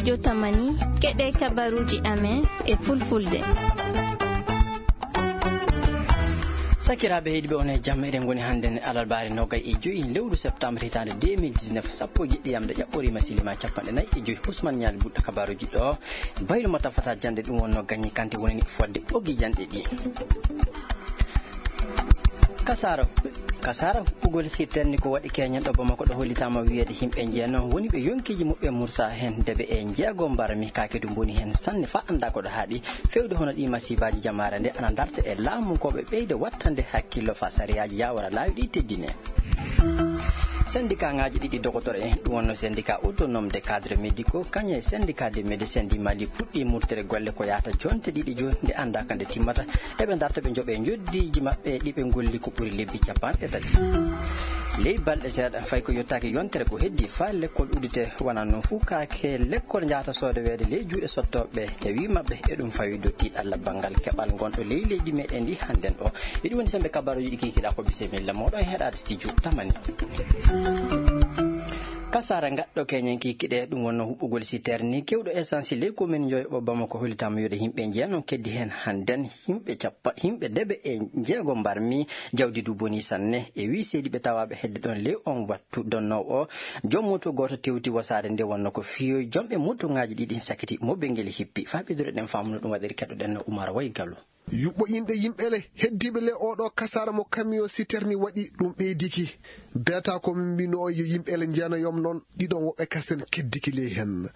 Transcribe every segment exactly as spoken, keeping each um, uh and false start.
Jotamani, keɗe kabaruuji amen e fulfulde. Sakiraaɓe heɗiiɓe, on e jam. Eɗen ngoni hannden alarbaare nogay e joyi lewru septembre hitaande deux mille dix-neuf, sappo e jeɗɗi yamde ƴaɓɓoriima silima capanɗe nayi e joyi. Usman Ñaali buɗɗo kabaruuji ɗo. Baylo mo tafata jannde ɗum wonno gañi kante woni fodde ɓoggi janɗe ɗi. Kasara, kasara huɓɓugol sirtani ko waɗi keñen ɗo Bamako ɗo hollitaama wiyeede yimɓe njeeno woni ɓe yonkiiji muɓɓe mursa heen debe e jeego mbarmi kaake du mboni heen sanne fa annda ko ɗo haaɗi. Fewde hono ɗi masibaaji jamaare nde ana darta e laamu ko ɓe ɓeyda wattande hakkillo fa sariyaaji yawara laawi ɗi teddine. Syndicat ŋaaji ɗiɗi dogotoro en, ɗum wonno syndicat autonome des cadres médicaux, kañum e syndicat des médecins du Mali, puɗɗi murtere golle ko yahata jonte ɗiɗi jooni, nde anndaaka nde timmata. Eɓe darta ɓe njoɓe njoddiiji maɓɓe ɗi ɓe ngolli ko ɓuri lebbi capanɗe tati. Ley balɗe seeɗa, fay ko yottaaki yontere ko heddi faa lekkol uddite, wonaa noon fuu kaake lekkol njahata soodoweede ley juuɗe sottooɓe e wii maɓɓe, e ɗum fawi dow tiiɗalla banngal keɓal ngonɗo ley leydi meɗen ndi hannden ɗo. E ɗum woni sembe kabaruuji ɗi kikiɗaa ko bisimilla mooɗon e heɗaade studio Tamani. Kasara ngaɗɗo keñen kikiɗe ɗum wonno huɓɓugol siterni kewɗo essence ley commune Njoyoɓo Bamako hollitaama wiyeede yimɓe njeeno keddi heen hannden yimɓe cappa, yimɓe debe e jeego mbarmi jawdi du boni sanne. E wii seediiɓe tawaaɓe hedde ɗon ley on wattu donnoowo o, joom moto gooto tewti wasaade nde wonno ko fiyoy jomɓe motoŋaaji ɗiɗi sakiti mo be ngel hippi. Faa ɓeydude ɗen faamuno ɗum waɗiri keɗoɗen no Umar Way Gallo. Yuɓɓo inɗe yimɓe le heddiiɓe le oɗo kasara mo camion citerne waɗi ɗum ɓeydiki. Beeta ko min mbino o yo yimɓe le njeenoyom noon ɗiɗon woɓɓe kasen keddiki ley hen.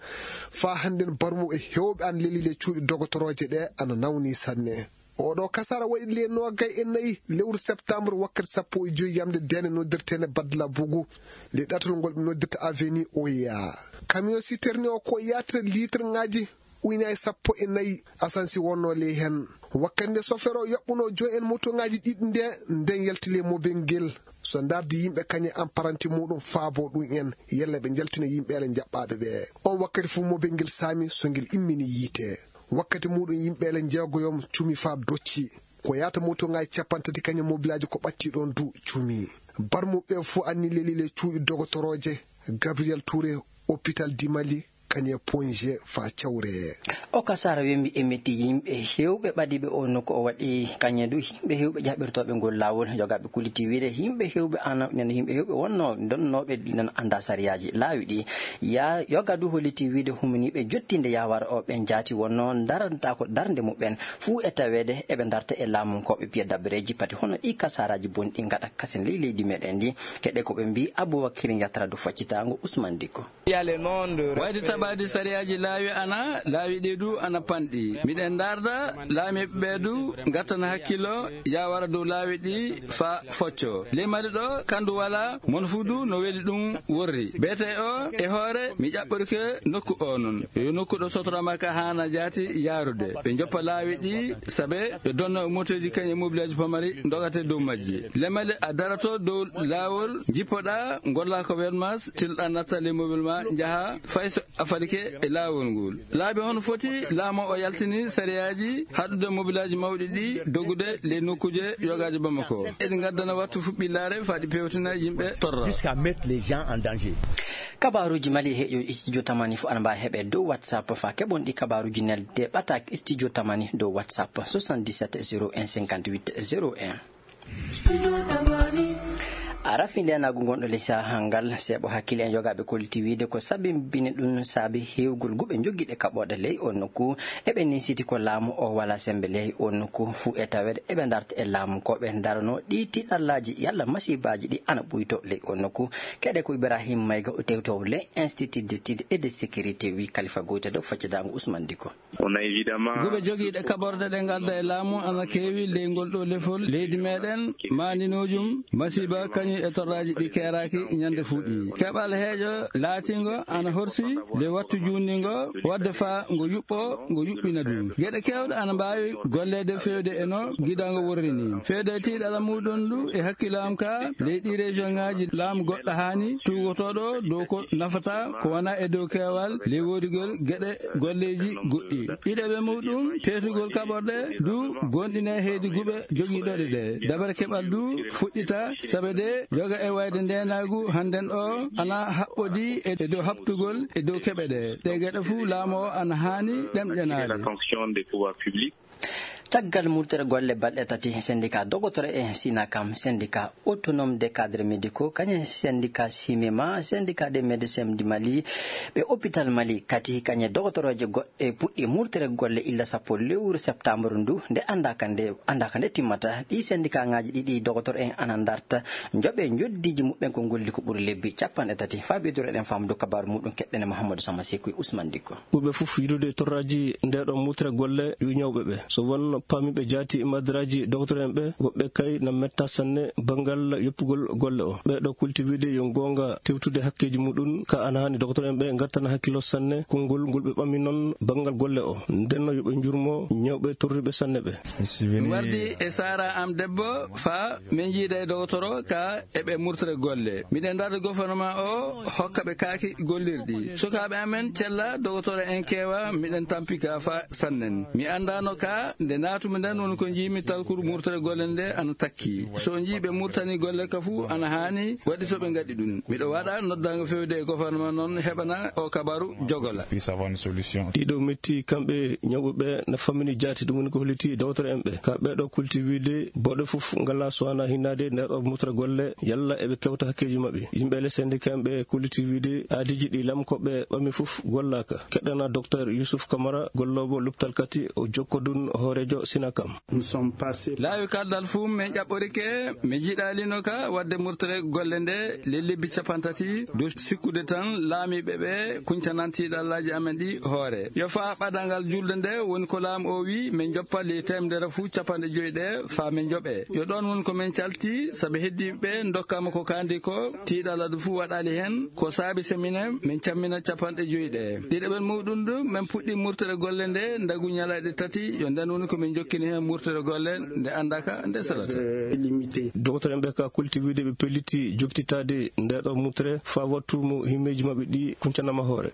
Faa hannden barmuɓe hewɓe an leli le cuuɗi dogotorooje ɗe ana nawni sanne. Oɗo kasara waɗi le noogay e nayi lewru septembre wakkati sappo e joyi yamde dene noddirteene Badla Bugu. Le ɗatal ngol ɓe noddirta avenue Oya. Camion citerne o ko yaata litre ŋaaji ujunaaji sappo e nayi asansi wonnoo ley heen. Wakkati nde sofeer o yoɓɓunoo joom en motoŋaaji ɗiɗi nde, nden yalti ley mobel ngel. So ndaardi yimɓe kañe apparanti muɗum faabo ɗum en, yalla ɓe njaltina yimɓeele njaɓɓaaɓe ɓe. On wakkati fof mobel ngel saami so ngel immini yiite. Wakkati muɗum yimɓeele njeegoyom cumi faa docci. Ko yaata motoŋaaji capanɗe tati kañe mobilaaji ko ɓatti ɗon du cumi. Barmuɓe fof anni leli le cuuɗi dogotorooje Gabriel Touré, hôpital Dimali, kañe Ponge faa cawre. O kasara wembi e metti yimɓe hewɓe ɓadiɓe o nokku o waɗi kañe du yimɓe hewɓe jaɓɓirtooɓe ngol laawol. Yogaaɓe kulliti wiide yimɓe hewɓe ana, nena yimɓe hewɓe wonno donnooɓe nana annda sariyaaji laawi ɗi. Ya, yoga du holliti wiide humniiɓe jottinde yawara o ɓen jaati wonno daranta ko darnde muɓɓen fuu e taweede eɓe darta e laamunkooɓe piya dabbareeji pati hono ɗi kasaraaji bonɗi ngaɗa kasen ley leydi meɗen ndi. Keɗe ko ɓe mbii Abubakir Yatara du faccitaango Usman Dikko. Wayde taɓaade sariyaaji laawi ana, laawi ɗi du ana panɗi. Miɗen ndaarda laamiiɓe ɓe du ngattana hakkillo yawara dow laawi ɗi faa focco. Ley Mali ɗo kandu wala, mon fuu du no weli ɗum worri. Beete o e hoore mi ƴaɓɓorike nokku o non. Yo nokku ɗo sotorama ka haana jaati yaarude. Ɓe njoppa laawi ɗi sabe ɓe donna moteeji kañe mobilaaji pamari ndogate dow majji. Ley Mali a darato dow laawol, jippoɗaa, ngolla ko wermas, tilɗaa natta ley mobil ma, njaha fay so a falike e laawol ngol. Laabi hono foti laamu o yaltini sariyaaji haɗude mobilaaji mawɗi ɗi dogude ley nokkuuje yogaaji Bamako. Eɗi ngaddana wattu fuɓɓillaare faa ɗi pewtina yimɓe torra. Jusqu'à mettre les gens en danger. Kabaaruuji Mali e heƴo studio Tamani fof ana mbaawi heɓe dow WhatsApp faa keɓon ɗi kabaaruuji nelde ɓataake studio Tamani dow WhatsApp soixante-dix-sept zéro un cinquante-huit zéro un. A rafi ndeenaagu ngonɗo ley sahaa ngal, seeɓo hakkille en yogaaɓe kolliti wiide ko sabimbini ɗum saabi heewgol guɓe jogiiɗe kaɓooɗe ley oo nokku. Eɓe niisiti ko laamu o walaa semmbe ley oo nokku fuu e taweede eɓe ndarta e laamu ko ɓe ndaranoo ɗii tiiɗallaaji yalla masiibaaji ɗi ana ɓuytoo ley oo nokku. Keɗe ko Ibrahim Mayga o tewtoowo ley Institut d'études et de sécurité wii Kalifa Goyta dow faccidaango Ousmane Dicko. Guɓe jogiiɗe kaɓorɗe ɗe ngadda e laamu ana keewi ley ngol ɗoo lefol leydi meɗen, maandinoojum, masiiba kañum e torraaji ɗi keeraaki ñande fuu ɗi. Keɓal heeƴo laatiingo ana horsi ley wattu juutniingo, waɗde faa ngo yuɓɓoo, ngo yuɓɓina du. Geɗe keewɗe ana mbaawi golleede feewde e no gidango worri ni. Feewde e tiiɗalla muuɗum du e hakkillo am ka, ley ɗii région ŋaaji laamu goɗɗo haani tuugotooɗo dow ko nafata ko wona e dow keewal ley woodugol geɗe golleeji goɗɗi. Ɗiɗaɓe muuɗum, teetugol kaɓorɗe du goonɗinee heydi guɓe jogiiɗoɗe ɗe. Dabare keɓal du fuɗɗita sabe de Yoga e wayde ndeenaagu hannden o ana haɓɓodii e dow haɓtugol e dow keɓe ɗe. Ɗe geɗe fuu laamu o ana haani ɗemɗenaade. Caggal murtere golle balɗe tati, sendika dogotoro en Sinakam, sendika autonome des cadres médicaux, kañum sendika Simema, sendika des médecins du Mali, ɓe hôpital Mali kadi kañum dogotoroje goɗɗe puɗɗi murtere golle illa sappo lewru septembre ndu, nde anndaka nde, anndaka nde timmata. Ɗi sendika ngaji ɗiɗi dogotoro en ana darta njoɓe njoddiji muɓɓen ko golli ko ɓuri lebbi capanɗe tati. Faa ɓeydureɗen famdu kabaru muɗum keɗɗen e Mahamadou Sama Seku e Ousmane Dikko. Ɓurɓe fof yiɗude torraaji nde ɗo mutre golle yo ñawɓe ɓe. So won paamiiɓe jaati e madraji doktor en ɓe, woɓɓe kay na metta sanne banngal yoppugol golle o. Ɓe ɗo kulti wiide yo goonga tewtude hakkeeji muɗum, ka ana haani doktor en ɓe ngartana hakkilo sanne konngol ngol ɓe ɓami noon banngal golle o. Ndenno yo ɓe njurmo ñawɓe torriɓe sanne ɓe. Mi wardi e saara am debbo faa min njiida e dogotoro ka eɓe murtere golle. Miɗen darde gouvernement o hokka ɓe kaaki gollirɗi. Sukaaɓe amen cella dogotoro en keewa, miɗen tampi ka faa sannen. Mi anndaano ka nde naatumi nden woni ko njiimi talkuru murtere golle nde ana takki. So njii ɓe murtani golle ka fuu ana haani waɗi so ɓe ngaɗi ɗum. Miɗo waɗa noddaango fewde e gouvernement noon heɓana o kabaru jogola. Puisse avoir une solution. Ɗiɗo metti kamɓe ñawɓe ɓe na fammini jaati, ɗum woni ko holliti dawtoro en ɓe. Ka ɓeɗo kulti wiide booɗo fof ngala so wana hinnaade nder o mutra golle, yalla eɓe kewta hakkeeji maɓɓe. Yimɓe le syndicat en ɓe kulliti wiide aadiji ɗi lamkoɓe ɓami fof gollaka. Keɗɗana Docteur Youssouf Camara, golloowo luptal kati o jokkodun hoorejo Sinakam. Laawi kaldal fuu min ƴaɓɓorike, mi jiɗalino ka wadde murtere golle nde le lebbi capantati, dow sikkude tan laamiiɓe ɓe kuncanan tiiɗallaaji amen ɗi hoore. Yo faa ɓadangal julde nde woni ko laamu o wi min joppa le temedere fuu capanɗe joyi ɗe faa min joɓe. Yo ɗoon woni ko min calti, sabi heddi ɓe ndokkama ko kaandi ko, tiiɗalla ɗum fuu waɗali heen, ko saabi semine min cammina capanɗe joyi ɗe. Ɗiɗaɓel muɗum ɗum, min puɗɗi murtere golle nde ndagu ñalaaɗe tati, yo nden woni ko min jokkini heen murtere golle nde anndaka nde salata. Doktor en ɓe ka kulti wiide ɓe pelliti jokkititaade nde ɗo murtere faa wattu mo himmeeji maɓɓe ɗi kuncanama hoore.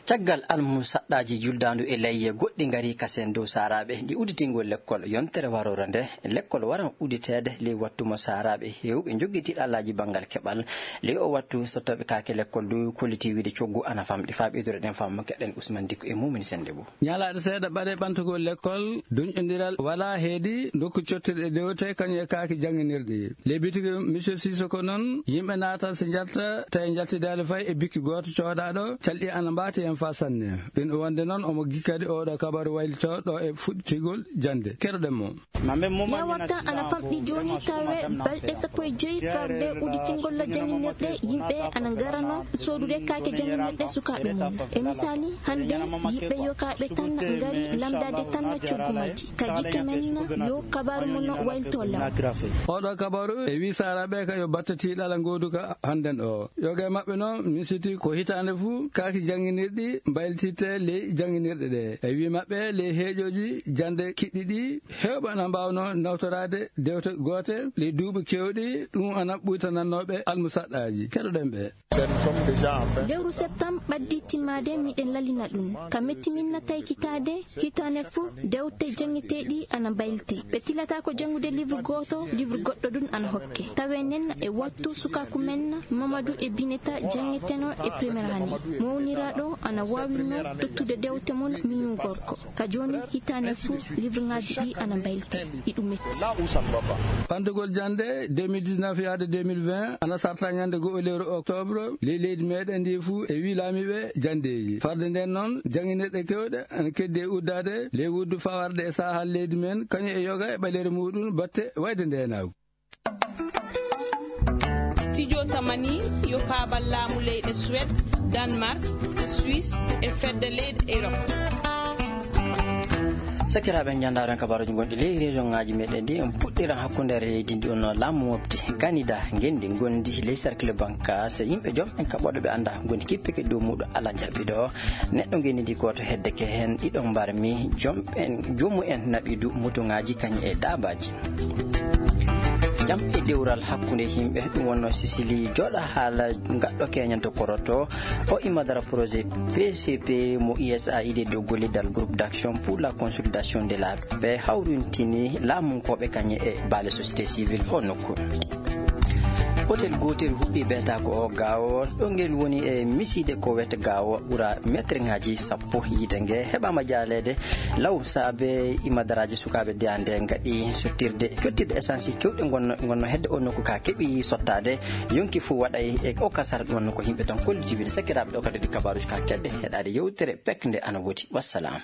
Caggal almusaɗɗaaji juldaandu e layye goɗɗi ngari kasen dow saaraaɓe ndi udditingol lekkol yontere waroore nde, lekkol waran udditeede ley wattu mo saaraaɓe heewɓe njogiti ɗallaaji banngal keɓal. Ley o wattu sottooɓe kaake lekkol dow kolliti wiide coggu ana famɗi. Faa ɓeydureɗen faamu keɗen Ousmane Dikko e Mumini Sennde Bou. Ñalaaɗe seeɗa ɓade ɓantugol lekkol, duñƴondiral walaa heedi ndokku cottirɗe dewte kañum e kaaki jannginirɗi. Ley bitigi Monsieur Sissoko noon, yimɓe naatat si njalta, tawi njaltidaali fay e bikki gooto coodaɗo, calɗi ana mbaati heen faa sanne. Ɗum wonde noon, omo gikkadi oɗo kabaru waylito ɗo e fuɗɗitigol jannde. Keɗoɗen mo. Yawarta ana famɗi jooni tawe balɗe sappo e joyi farde udditingol jannginirɗe, yimɓe ana ngarano soodude kaake jannginirɗe sukaaɓe mum. E misaali, hannde yiɓɓe yokaaɓe tan ngari lamndaade tan coggu majji. Ka jikke men, yo kabaaru mon waylito law. Oɗo kabaaru e wi saaraaɓe ka yo batte tiiɗalla ngooduka hannden o. Yoga e maɓɓe noon misiti ko hitaande fuu kaaki jannginirɗi mbaylititte ley jannginirɗe ɗe. E wi maɓɓe ley heeƴooji jannde kiɗɗi ɗi, heewɓe ana mbaawnoo nawtoraade dewte goote ley duuɓi keewɗi, ɗum ana ɓuytanannooɓe almusaɗɗaaji. Keɗoɗen ɓe. Lewru septembre ɓaddi timmaade, miɗen lalina ɗum. Ka metti min na taykitaade, hitaane fuu, dewte janngeteeɗi ana mbaylite. Ɓe tilata ko janngude livre gooto, livre goɗɗo ɗum ana hokke. Tawe nen e wattu sukaaku men, Mamadou e Bineta janngiteno e première année. Mawniraaɗo ana waawino tottude dewte mum miñum gorko. Ka jooni, hitaane fuu, livre ŋaaji ɗi ana mbaylite. Iɗum metti. Ɓantugol jannde deux mille dix-neuf yaade deux mille vingt ana sarta ñande go'o lewru octobre, ley leydi meɗen ndi fuu e wi laamiiɓe janndeeji. Farde nden noon, jannginirɗe kewɗe ana keddi e uddaade ley wuddu faa warde e saahal leydi men, kañum e yoga e ɓaleere muɗum batte wayde ndeenaagu. Studio Tamani yo faabal laamu leyɗe Suède, Danemark, Suisse e fedde leyɗe Europe. Sakiraaɓe, njandaaro en kabaaruuji gonɗi ley région ŋaaji meɗen ɗi, en puɗɗiran hakkunde leydi ndi, on laamu mofti Kanada, ngenndi ngondi ley cercle bancaire, yimɓe joom en kaɓooɗo ɓe annda ngondi kippike dow muuɗo ala jaɓɓiɗo. Neɗɗo ngenndi ndi gooto heddeke heen, ɗiɗo mbarmi, joom en, joomu en naɓi du mutuŋaaji kañum e daabaaji. Jam e dewral hakkunde yimɓe, ɗum wonno Sicily jooɗa haala gaɗɗo keñanto koroto. O imma dara projet P C P mo U S A I D dow gollidal groupe d'action pour la consolidation de la paix hawrintini laamunkooɓe kañum e baale société civile o nokku. Hotel gootel huɓɓi beetaako o gaawo, ɗo ngel woni e misiide ko wiyetee gaawo ɓura meetirŋaaji sappo. Yiite nge heɓaama jaaleede law saabe imadaraaji sukaaɓe deyaande ngaɗi sottirde, jottirde essence kewɗe ngonno, ngonno hedde o nokku ka keɓi sottaade. Yonki fof waɗay e o kasara ɗum wonno ko yimɓe tan kolliti wiide sakkiraaɓe ɗo kadi ɗi kabaaruuji ka kedde heɗaade yewtere pek nde ana woodi. Wassalam.